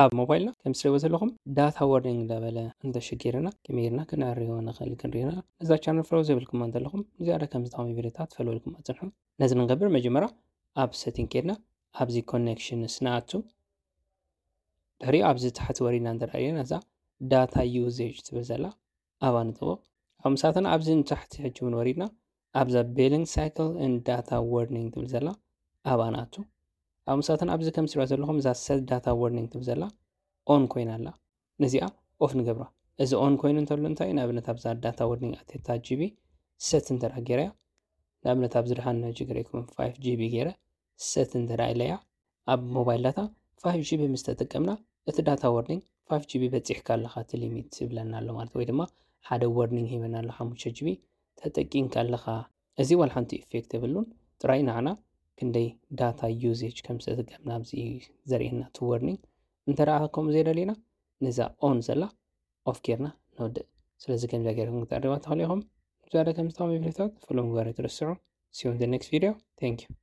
ኣብ ሞባይልና ከም ትሪእዎ ዘለኹም data warning እንዳበለ እንተሸጊርና ከመይ ጌርና ክነዕርዮ ንኽእል ክንሪና። ነዛ ቻነል ፎሎ ዘይብልኩማ እንተለኹም ዝያዳ ከምዚ ጠቓሚ ቪድዮታት ፎሎ ኢልኩም ኣጽንሑ። ነዚ ንገብር መጀመርያ ኣብ setting ኬድና ኣብዚ connections ንኣቱ። ድሕሪኡ ኣብዚ ታሕቲ ወሪድና እንተ ርኢና እዛ data usage ትብል ዘላ ኣብኣ ንጥወቕ። ኣብ ምሳተን ኣብዚ ንታሕቲ ሕጂ እውን ወሪድና ኣብዛ billing cycle and data warning ትብል ዘላ ኣብኣ ንኣቱ። ኣብ ምሳተን ኣብዚ ከም ትሪእዋ ዘለኹም እዛ set data warning ትብል ዘላ on ኮይና ኣላ። ነዚኣ ኦፍ ንገብራ። እዚ on ኮይኑ እንተሎ እንታይ እዩ? ንኣብነት ኣብዛ data warning ኣቴታ ጂቢ set እንተ ደኣ ገይረያ፣ ንኣብነት ኣብዚ ድሓን ሕጂ ገይረኩም five ጂቢ ገይረ set እንተ ደኣ ኢለያ፣ ኣብ ሞባይል ዳታ five ጂቢ ምስ ተጠቀምና እቲ data warning five ጂቢ በጺሕካ ኣለኻ እቲ ሊሚት ይብለና ኣሎ ማለት፣ ወይ ድማ ሓደ warning ሂበና ኣሎ ሓሙሽተ ጂቢ ተጠቂምካ ኣለኻ። እዚ ዋላ ሓንቲ ኢፌክት የብሉን፣ ጥራይ ንዓና ክንደይ data usage ከም ዝተጠቀምና ኣብዚ እዩ ዘርእየና እቲ warning። እንተ ደኣ ከምኡ ዘይደሊና ነዛ on ዘላ ኦፍ ጌርና ንወድእ። ስለዚ ከምዚኣ ጌርኩም ክትዕርዋ ትኽእሉ ኢኹም። ዝያዳ ከም ዝጠቕሚ ቪድዮታት ፎሎ ምግባር ኣይትረስዑ። See you in the next video. Thank you.